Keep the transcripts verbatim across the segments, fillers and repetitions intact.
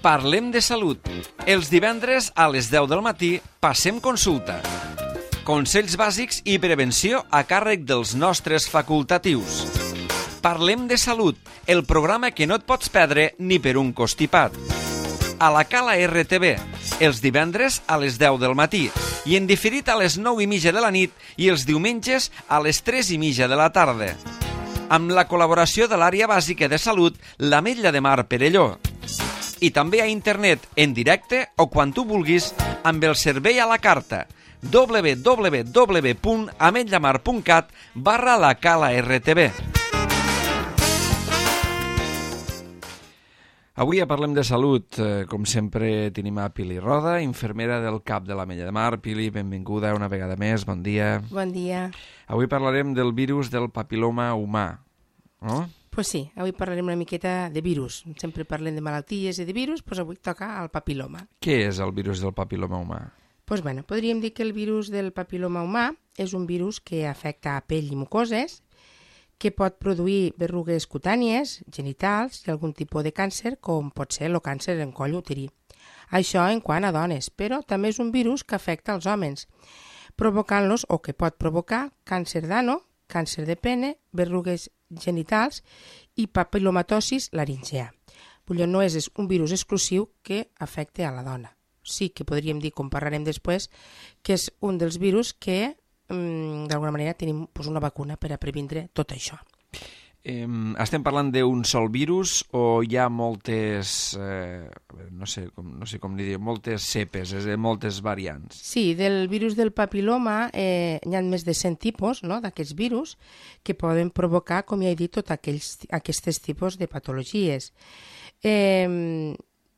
Parlem de salut. Els divendres a les deu del matí passem consulta. Consells bàsics i prevenció a càrrec dels nostres facultatius. Parlem de salut, el programa que no et pots perdre ni per un costipat. A la Cala R T V, els divendres a les deu del matí i en diferit a les nou i mitja de la nit i els diumenges a les tres i mitja de la tarda. Amb la col·laboració de l'àrea bàsica de salut, l'Ametlla de Mar Perelló. I també a internet, en directe o quan tu vulguis, amb el servei a la carta w w w punt ametllamar punt cat barra la Cala R T V. Avui parlem de salut. Com sempre tenim a Pili Roda, infermera del CAP de l'Ametlla de Mar. Pili, benvinguda una vegada més, bon dia. Bon dia. Avui parlarem del virus del papil·loma humà, no? Pues sí, avui parlarem una miqueta de virus. Sempre parlem de malalties i de virus, doncs avui toca el papil·loma. Què és el virus del papil·loma humà? Pues bueno, podríem dir que el virus del papil·loma humà és un virus que afecta a pell i mucoses, que pot produir berrugues cutànies, genitals i algun tipus de càncer, com pot ser el càncer en coll uterí. Això en quant a dones, però també és un virus que afecta als homes, provocant-los o que pot provocar càncer d'ano, càncer de pene, berrugues genitals i papilomatosis laringea. Vull dir, no és un virus exclusiu que afecta a la dona. Sí que podríem dir, com parlarem després, que és un dels virus que d'alguna manera tenim pues, una vacuna per a previndre tot això. Eh, estem parlant d'un sol virus o hi ha moltes, eh, no sé com, no sé com dir, moltes cepes, és a dir, moltes variants? Sí, del virus del papil·loma eh, hi ha més de cent tipus, no?, d'aquests virus que poden provocar, com ja he dit, tots aquells, aquests tipus de patologies. Eh,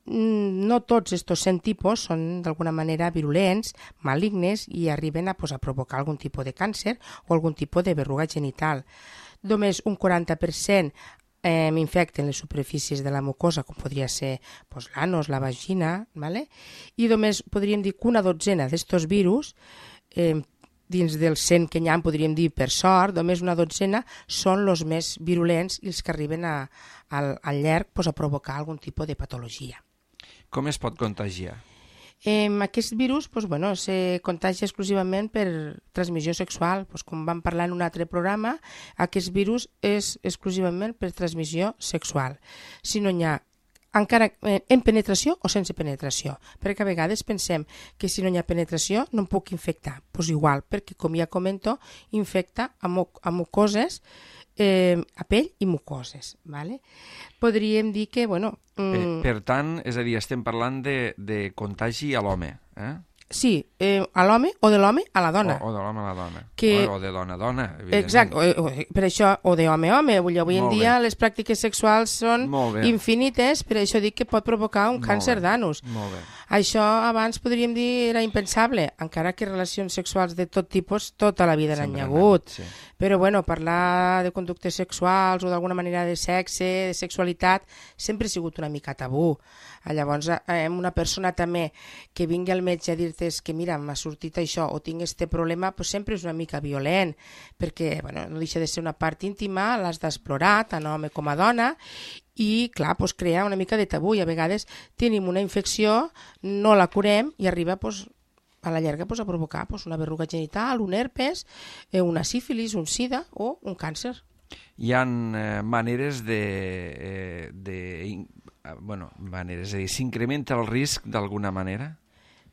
no tots aquests cent tipus són d'alguna manera virulents, malignes i arriben a, pues, a provocar algun tipus de càncer o algun tipus de berruga genital. Només un quaranta per cent eh, infecten les superfícies de la mucosa, com podria ser pues, l'anus, la vagina, ¿vale? I només podríem dir que una dotzena d'estos virus, eh, dins dels cent que n'hi ha, podríem dir per sort, només una dotzena són els més virulents i els que arriben a, al, al llarg pues, a provocar algun tipus de patologia. Com es pot contagiar? Eh, aquest virus pues, bueno, se contagia exclusivament per transmissió sexual. Pues, com vam parlar en un altre programa, aquest virus és exclusivament per transmissió sexual. Si no n'hi ha encara en penetració o sense penetració, perquè a vegades pensem que si no hi ha penetració no em puc infectar. Pues igual, perquè com ja comento, infecta a, muc a mucoses, eh, a pell i mucoses. Vale? Podríem dir que, bueno... Per, per tant, és a dir, estem parlant de, de contagi a l'home, eh? Sí, eh, a l'home o de l'home a la dona. O, o de l'home a la dona. Que... O, o de dona a dona, evidentment. Exacte, o, o, per això, o de home a home. Avui en Molt dia bé. Les pràctiques sexuals són infinites, per això dic que pot provocar un Molt càncer d'anus. Molt bé. Això abans podríem dir era impensable, encara que relacions sexuals de tot tipus tota la vida n'hi ha hagut. Sí. Però bueno, parlar de conductes sexuals o d'alguna manera de sexe, de sexualitat, sempre ha sigut una mica tabú. Llavors, eh, una persona també que vingui al metge a dir-te que mira, m'ha sortit això o tinc este problema, pues sempre és una mica violent, perquè bueno, no deixa de ser una part íntima, l'has d'explorar, tant home com a dona, i clar, pues, crea una mica de tabú i a vegades tenim una infecció, no la curem i arriba pues, a la llarga pues, a provocar pues, una berruga genital, un herpes, eh, una sífilis, un sida o un càncer. Hi ha eh, maneres de... Eh, de bueno, maneres, és a dir, s'incrementa el risc d'alguna manera?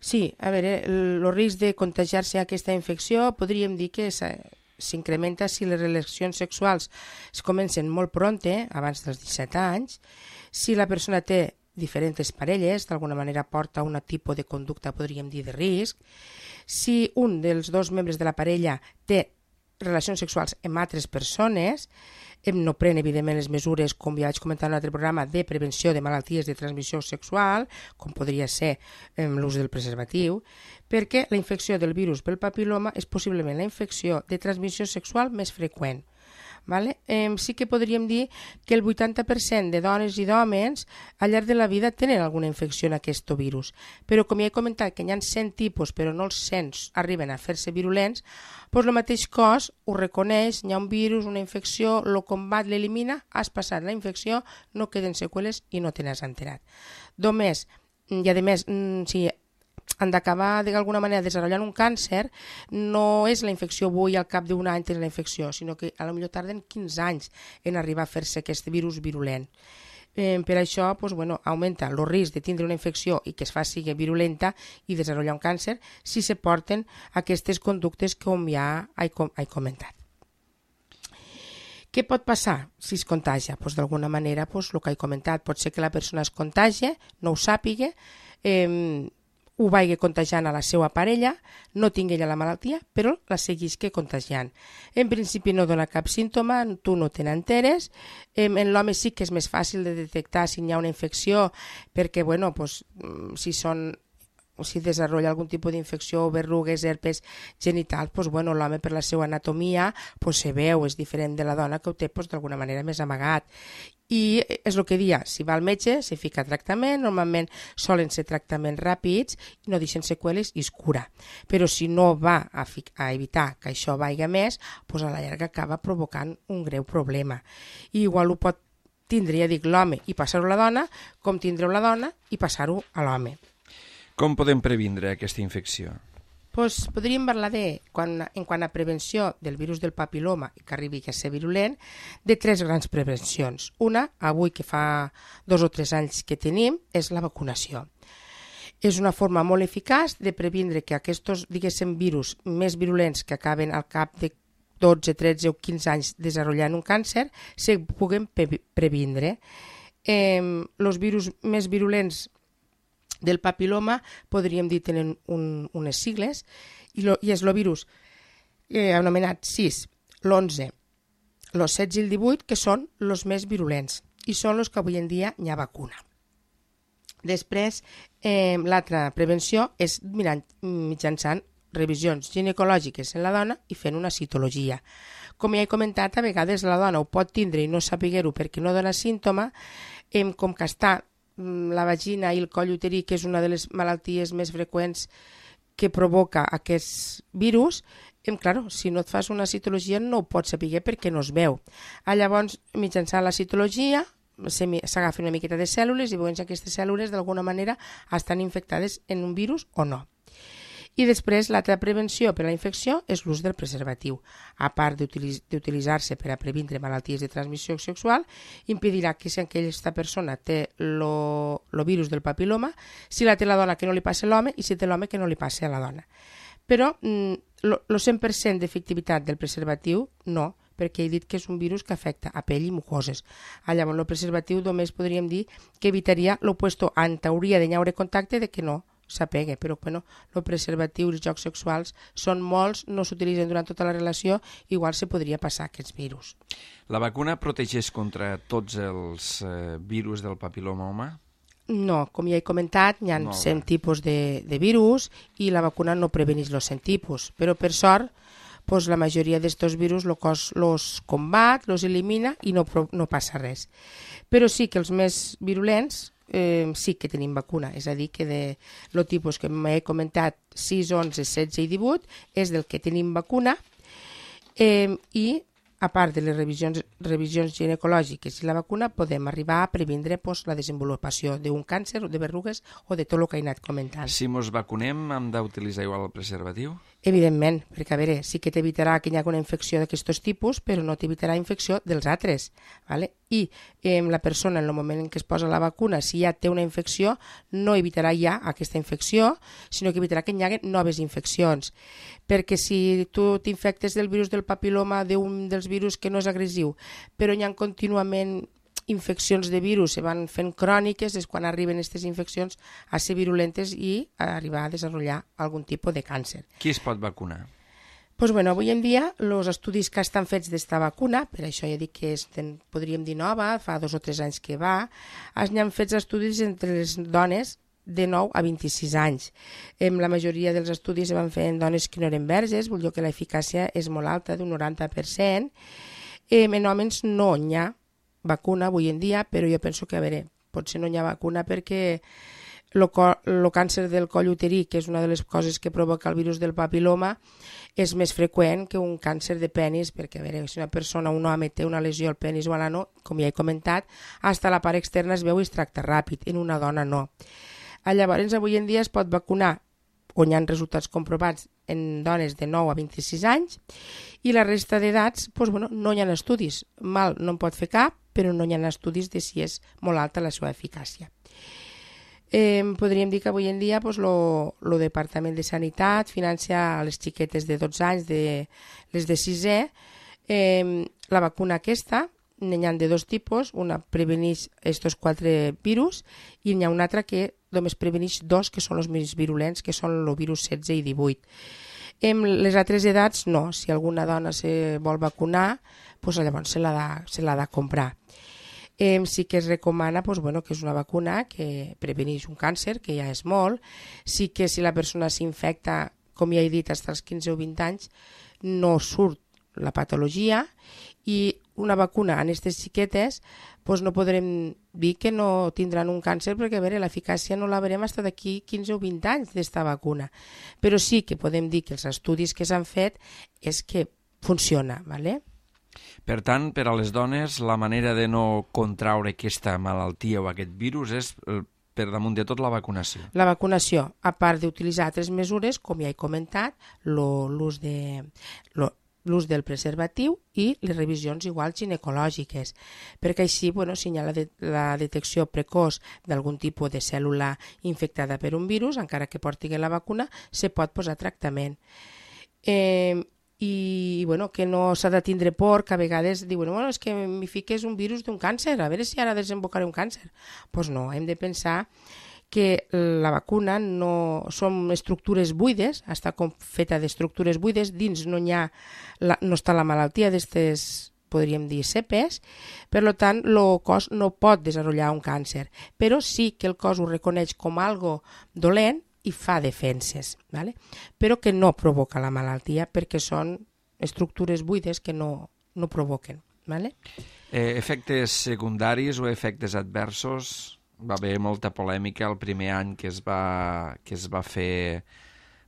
Sí, a veure, el, el risc de contagiar-se aquesta infecció podríem dir que s'incrementa si les relacions sexuals es comencen molt pronte, abans dels disset anys, si la persona té diferents parelles, d'alguna manera porta un tipus de conducta, podríem dir, de risc, si un dels dos membres de la parella té relacions sexuals amb altres persones, no pren, evidentment, les mesures, com ja vaig comentar en un altre programa, de prevenció de malalties de transmissió sexual, com podria ser l'ús del preservatiu, perquè la infecció del virus pel papil·loma és possiblement la infecció de transmissió sexual més freqüent. Vale? Eh, sí que podríem dir que el vuitanta per cent de dones i d'homes al llarg de la vida tenen alguna infecció en aquest virus. Però com ja he comentat que hi ha cent tipus però no els cent arriben a fer-se virulents, doncs el mateix cos ho reconeix, hi ha un virus, una infecció, el combat, l'elimina, has passat la infecció, no queden seqüeles i no te n'has enterat. Només, i a més, si han d'acabar d'alguna manera desenvolupant un càncer, no és la infecció avui al cap d'un any tenir la infecció, sinó que a lo millor tarden quinze anys en arribar a fer-se aquest virus virulent. Eh, per això doncs, bueno, augmenta el risc de tindre una infecció i que es faci virulenta i desenvolupar un càncer si se porten aquestes conductes com ja he, com, he comentat. Què pot passar si es contagia? Pues, d'alguna manera, pues, el que he comentat, pot ser que la persona es contagie, no ho sàpiga, eh, ho vagi contagiant a la seva parella, no tingui ella la malaltia, però la seguisca contagiant. En principi no dona cap símptoma, tu no te n'enteres. En l'home sí que és més fàcil de detectar si hi ha una infecció, perquè bueno, pues, si són si desenvolupa algun tipus d'infecció, verrugues, herpes genitals, pues, bueno, l'home per la seva anatomia pues, se veu, és diferent de la dona que ho té pues, d'alguna manera més amagat. I és el que dia, si va al metge, se fica tractament, normalment solen ser tractaments ràpids i no deixen seqüeles i es cura. Però si no va a, a evitar que això vagi més, pues, a la llarga acaba provocant un greu problema. I igual ho pot tindre, ja dic, l'home i passar-ho a la dona, com tindre-ho la dona i passar-ho a l'home. Com podem previndre aquesta infecció? Pues podríem parlar de, quan, en quant a prevenció del virus del papiloma que arribi a ser virulent, de tres grans prevencions. Una, avui que fa dos o tres anys que tenim, és la vacunació. És una forma molt eficaç de previndre que aquests, diguéssim, virus més virulents que acaben al cap de dotze, tretze o quinze anys desenvolupant un càncer, se puguen previndre. Eh, els virus més virulents del papiloma, podríem dir, tenen un, unes sigles, i, lo, i és el virus eh, anomenat sis, l'onze, el setze i el divuit, que són els més virulents, i són els que avui en dia hi ha vacuna. Després, eh, l'altra prevenció és mirant, mitjançant revisions ginecològiques en la dona i fent una citologia. Com ja he comentat, a vegades la dona ho pot tindre i no saber-ho perquè no dona símptoma, eh, com que està la vagina i el coll uterí, que és una de les malalties més freqüents que provoca aquest virus, em, claro, si no et fas una citologia no ho pots saber perquè no es veu. Ah, llavors, mitjançant la citologia, s'agafen una miqueta de cèl·lules i veuen si aquestes cèl·lules d'alguna manera estan infectades en un virus o no. I després, l'altra prevenció per a la infecció és l'ús del preservatiu. A part d'utilitzar-se per a previndre malalties de transmissió sexual, impedirà que si aquesta persona té el virus del papiloma, si la té la dona que no li passi a l'home i si té l'home que no li passi a la dona. Però el cent per cent d'efectivitat del preservatiu no, perquè he dit que és un virus que afecta a pell i mucoses. Llavors, el preservatiu només podríem dir que evitaria l'opuesto, en teoria de haure contacte, de que no s'apega, però bueno, el preservatiu i els jocs sexuals són molts, no s'utilitzen durant tota la relació, igual se podria passar aquests virus. La vacuna protegeix contra tots els eh, virus del papiloma humà? No, com ja he comentat, hi ha cent tipus de, de virus i la vacuna no preveneix els cent tipus, però per sort pues, la majoria d'aquests virus el cos els combat, els elimina i no, no passa res. Però sí que els més virulents Eh, sí que tenim vacuna, és a dir, que de el tipus que m'he comentat sis, onze, setze i divuit és del que tenim vacuna eh, i a part de les revisions, revisions ginecològiques i la vacuna podem arribar a previndre pues, la desenvolupació d'un càncer o de verrugues o de tot el que he anat comentant. Si mos vacunem hem d'utilitzar igual el preservatiu? Evidentment, perquè a veure, sí que t'evitarà que hi hagi una infecció d'aquests tipus, però no t'evitarà infecció dels altres. ¿Vale? I eh, la persona, en el moment en què es posa la vacuna, si ja té una infecció, no evitarà ja aquesta infecció, sinó que evitarà que hi hagi noves infeccions. Perquè si tu t'infectes del virus del papiloma, d'un dels virus que no és agressiu, però hi ha contínuament infeccions de virus se van fent cròniques, és quan arriben aquestes infeccions a ser virulentes i a arribar a desenvolupar algun tipus de càncer. Qui es pot vacunar? Pues bueno, avui en dia els estudis que estan fets d'esta vacuna, per això ja dic que és, podríem dir nova, fa dos o tres anys que va, es han fet estudis entre les dones de nou a vint-i-sis anys. La majoria dels estudis se van fer en dones que no eren verges, vull dir que l'eficàcia és molt alta, d'un noranta per cent. Eh, en homes no hi ha vacuna avui en dia, però jo penso que, a veure, potser no hi ha vacuna perquè el càncer del coll uterí, que és una de les coses que provoca el virus del papiloma, és més freqüent que un càncer de penis, perquè a veure, si una persona, un home, té una lesió al penis o a l'ano, com ja he comentat, hasta la part externa es veu i es tracta ràpid, en una dona no. Llavors, avui en dia es pot vacunar, on hi ha resultats comprovats, en dones de nou a vint-i-sis anys, i la resta d'edats, doncs, bueno, no hi ha estudis. Mal no en pot fer cap, però no hi ha estudis de si és molt alta la seva eficàcia. Eh, podríem dir que avui en dia pues, lo, lo Departament de Sanitat financia a les xiquetes de dotze anys, de, les de sisè, eh, la vacuna aquesta, n'hi ha de dos tipus, una preveneix estos quatre virus i n'hi ha una altra que només preveneix dos, que són els més virulents, que són el virus setze i divuit. En les altres edats no, si alguna dona se vol vacunar, pues, llavors se l'ha de, se l'ha de comprar. Eh, sí que es recomana pues, bueno, que és una vacuna que preveneix un càncer, que ja és molt. Sí que si la persona s'infecta, com ja he dit, fins als quinze o vint anys, no surt la patologia, i una vacuna en aquestes xiquetes pues, no podrem dir que no tindran un càncer, perquè a veure, l'eficàcia no la veurem fins d'aquí quinze o vint anys d'esta vacuna. Però sí que podem dir que els estudis que s'han fet és que funciona, ¿vale? Per tant, per a les dones, la manera de no contraure aquesta malaltia o aquest virus és per damunt de tot la vacunació. La vacunació, a part d'utilitzar altres mesures, com ja he comentat, l'ús de, l'ús del preservatiu i les revisions igual ginecològiques, perquè així bueno, si hi ha la, de, la detecció precoç d'algun tipus de cèl·lula infectada per un virus, encara que porti la vacuna, se pot posar tractament. Eh, i bueno, que no s'ha de tindre por, que a vegades diuen, bueno, és que m'hi fiques un virus d'un càncer, a veure si ara desembocaré un càncer. Doncs pues no, hem de pensar que la vacuna no són estructures buides, està feta d'estructures buides, dins no hi ha, la, no està la malaltia d'aquestes, podríem dir, cepes, per tant, el cos no pot desenvolupar un càncer, però sí que el cos ho reconeix com algo dolent i fa defenses, ¿vale? Però que no provoca la malaltia perquè són estructures buides que no, no provoquen. ¿Vale? Eh, efectes secundaris o efectes adversos? Va haver molta polèmica el primer any que es va, que es va fer...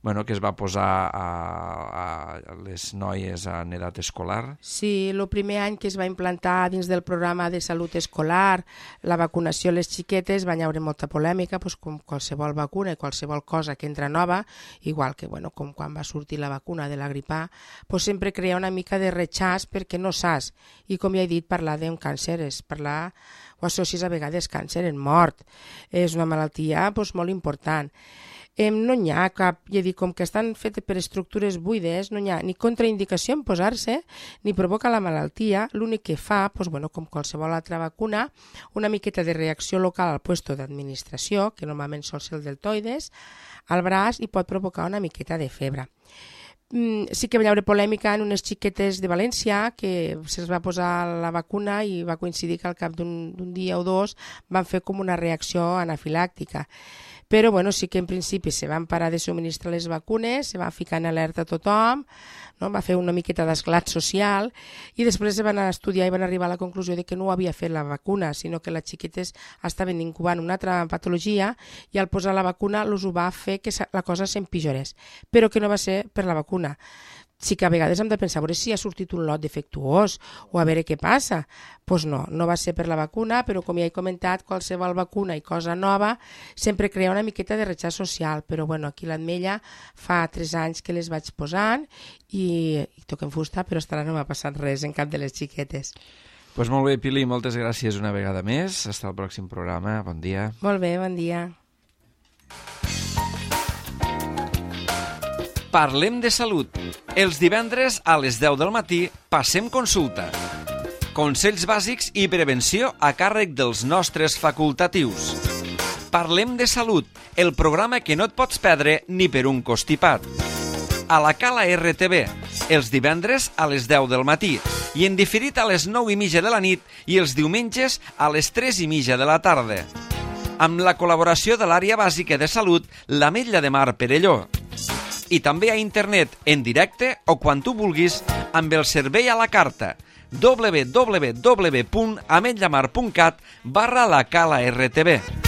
Bueno, que es va posar a, a les noies en edat escolar. Sí, el primer any que es va implantar dins del programa de salut escolar la vacunació a les xiquetes va haver molta polèmica, doncs, com qualsevol vacuna i qualsevol cosa que entra nova, igual que bueno, com quan va sortir la vacuna de la grip A, doncs sempre crea una mica de rechaç perquè no saps. I com ja he dit, parlar d'un càncer és parlar, o associes a vegades càncer en mort. És una malaltia doncs, molt important. Eh, no hi ha cap, ja dic, com que estan fetes per estructures buides, no hi ha ni contraindicació en posar-se, ni provoca la malaltia, l'únic que fa, doncs, bueno, com qualsevol altra vacuna, una miqueta de reacció local al puesto d'administració, que normalment sol ser el deltoides, al braç i pot provocar una miqueta de febre. Mm, sí que va haver polèmica en unes xiquetes de València que se'ls va posar la vacuna i va coincidir que al cap d'un dia o dos van fer com una reacció anafilàctica. Però bueno, sí que en principi se van parar de subministrar les vacunes, se va ficar en alerta a tothom, no? Va fer una miqueta d'esclat social i després se van estudiar i van arribar a la conclusió de que no ho havia fet la vacuna, sinó que les xiquetes estaven incubant una altra patologia i al posar la vacuna els ho va fer que la cosa s'empitjorés, però que no va ser per la vacuna. Sí que a vegades hem de pensar a veure si ha sortit un lot defectuós o a veure què passa. Doncs no, no va ser per la vacuna, però com ja he comentat, qualsevol vacuna i cosa nova sempre crea una miqueta de rechaç social. Però bueno, aquí l'Ametlla fa tres anys que les vaig posant i, i toquem fusta, però hasta ara no m'ha passat res en cap de les xiquetes. Doncs pues molt bé, Pili, moltes gràcies una vegada més. Fins al pròxim programa. Bon dia. Molt bé, bon dia. Parlem de salut. Els divendres a les deu del matí passem consulta. Consells bàsics i prevenció a càrrec dels nostres facultatius. Parlem de salut, el programa que no et pots perdre ni per un costipat. A la Cala R T V, els divendres a les deu del matí i en diferit a les nou i mitja de la nit i els diumenges a les tres i mitja de la tarda. Amb la col·laboració de l'àrea bàsica de salut, l'Ametlla de Mar Perelló. i també a internet, en directe o quan tu vulguis, amb el servei a la carta w w w punt ametlllamar punt cat barra la cala R T B.